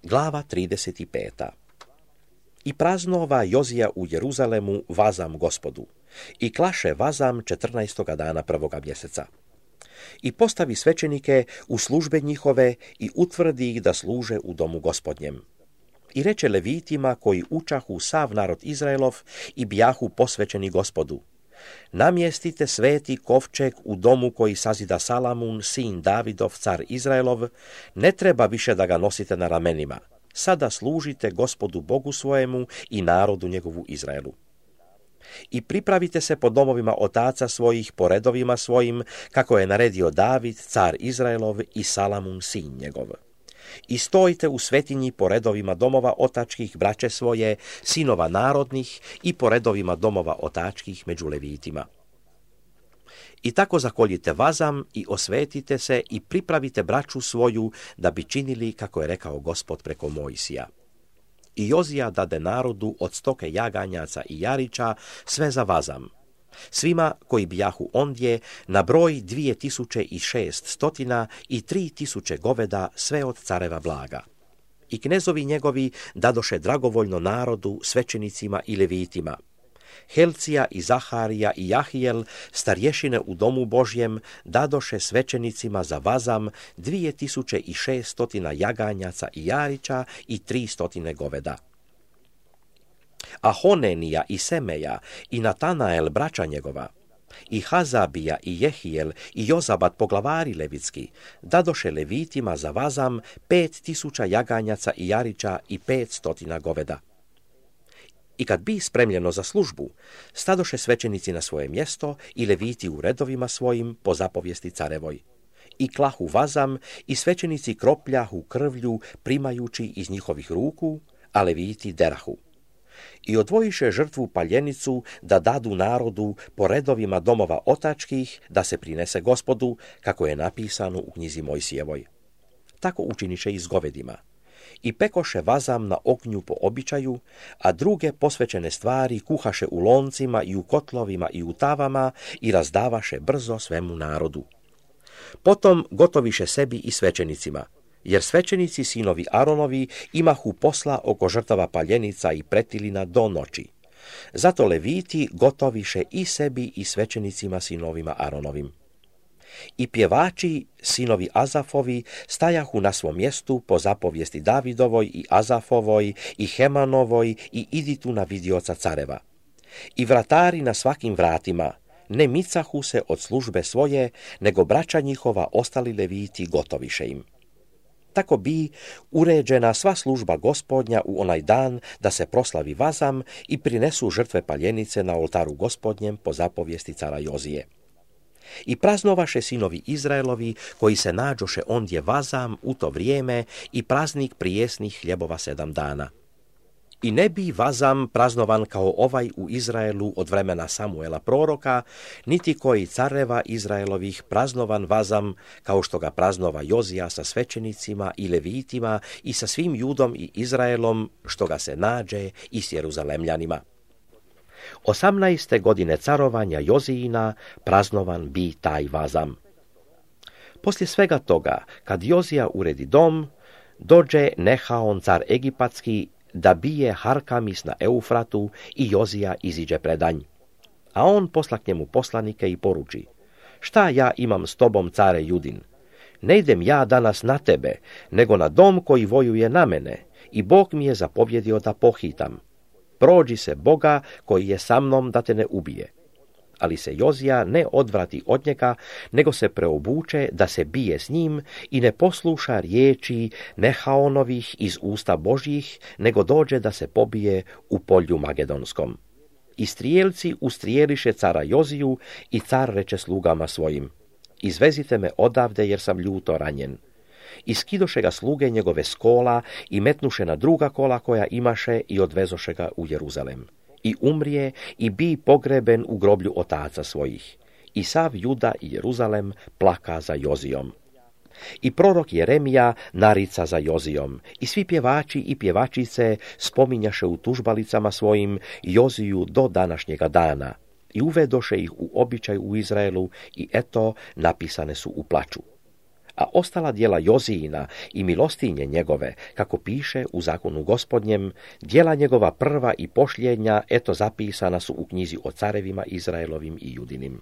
Glava 35. I praznova Jozija u Jeruzalemu vazam Gospodu. I klaše vazam 14. dana 1. mjeseca. I postavi svećenike u službe njihove i utvrdi ih da služe u domu Gospodnjem. I reče levitima koji učahu sav narod Izraelov i bijahu posvećeni Gospodu: namjestite sveti kovčeg u domu koji sazida Salamun, sin Davidov, car Izraelov, ne treba više da ga nosite na ramenima. Sada služite Gospodu Bogu svojemu i narodu njegovu Izraelu. I pripravite se po domovima otaca svojih, po redovima svojim, kako je naredio David, car Izraelov, i Salamun, sin njegov. I stojite u svetinji po redovima domova otačkih braće svoje, sinova narodnih, i po redovima domova otačkih među levitima. I tako zakoljite vazam i osvetite se i pripravite braću svoju da bi činili kako je rekao Gospod preko Mojsija. I Jozija dade narodu od stoke jaganjaca i jarića sve za vazam. Svima koji bijahu ondje na broj 2600 i 3000 goveda, sve od careva blaga. I knezovi njegovi dadoše dragovoljno narodu, svećenicima i levitima. Helcija i Zaharija i Jahijel, starješine u domu Božjem, dadoše svećenicima za vazam 2600 jaganjaca i jarića i 300 goveda. A Honenija i Semeja i Natanael braća njegova, i Hazabija i Jehijel i Jozabat poglavari levitski, dadoše levitima za vazam 5000 jaganjaca i jarića i 500 goveda. I kad bi spremljeno za službu, stadoše svećenici na svoje mjesto i leviti u redovima svojim po zapovijesti carevoj. I klahu vazam i svećenici kropljahu krvlju primajući iz njihovih ruku, a leviti derahu. I odvojiše žrtvu paljenicu da dadu narodu po redovima domova otačkih da se prinese Gospodu, kako je napisano u knjizi Mojsijevoj. Tako učiniše i s govedima. I pekoše vazam na ognju po običaju, a druge posvećene stvari kuhaše u loncima i u kotlovima i u tavama i razdavaše brzo svemu narodu. Potom gotoviše sebi i svećenicima, jer svećenici sinovi Aronovi imahu posla oko žrtava paljenica i pretilina do noći. Zato leviti gotoviše i sebi i svećenicima sinovima Aronovim. I pjevači, sinovi Azafovi, stajahu na svom mjestu po zapovijesti Davidovoj i Azafovoj i Hemanovoj i Iditu na vidioca careva. I vratari na svakim vratima ne micahu se od službe svoje, nego braća njihova ostali leviti gotoviše im. Tako bi uređena sva služba Gospodnja u onaj dan da se proslavi vazam i prinesu žrtve paljenice na oltaru Gospodnjem po zapovijesti cara Jozije. I praznovaše sinovi Izraelovi koji se nađoše ondje vazam u to vrijeme i praznik prijesnih hljebova 7 dana. I ne bi vazam praznovan kao ovaj u Izraelu od vremena Samuela proroka, niti koji careva Izraelovih praznovan vazam kao što ga praznova Jozija sa svećenicima i levitima i sa svim Judom i Izraelom što ga se nađe i s Jeruzalemljanima. 18. godine carovanja Jozijina praznovan bi taj vazam. Poslije svega toga, kad Jozija uredi dom, dođe Nehaon car egipatski da bije Harkamis na Eufratu i Jozija iziđe predanj. A on posla k njemu poslanike i poruči: šta ja imam s tobom, care Judin? Ne idem ja danas na tebe, nego na dom koji vojuje na mene, i Bog mi je zapovjedio da pohitam. Prođi se Boga koji je sa mnom da te ne ubije. Ali se Jozija ne odvrati od njega, nego se preobuče da se bije s njim i ne posluša riječi Nehaonovih iz usta Božjih, nego dođe da se pobije u polju Magedonskom. I strijelci ustrijeliše cara Joziju i car reče slugama svojim: izvezite me odavde jer sam ljuto ranjen. I skidoše ga sluge njegove s kola i metnuše na druga kola koja imaše i odvezoše ga u Jeruzalem. I umrije i bi pogreben u groblju otaca svojih. I sav Juda i Jeruzalem plaka za Jozijom. I prorok Jeremija narica za Jozijom. I svi pjevači i pjevačice spominjaše u tužbalicama svojim Joziju do današnjega dana. I uvedoše ih u običaj u Izraelu i eto napisane su u plaču. a ostala djela Jozijina i milostinje njegove, kako piše u zakonu Gospodnjem, djela njegova prva i pošljenja, eto zapisana su u knjizi o carevima Izraelovim i Judinim.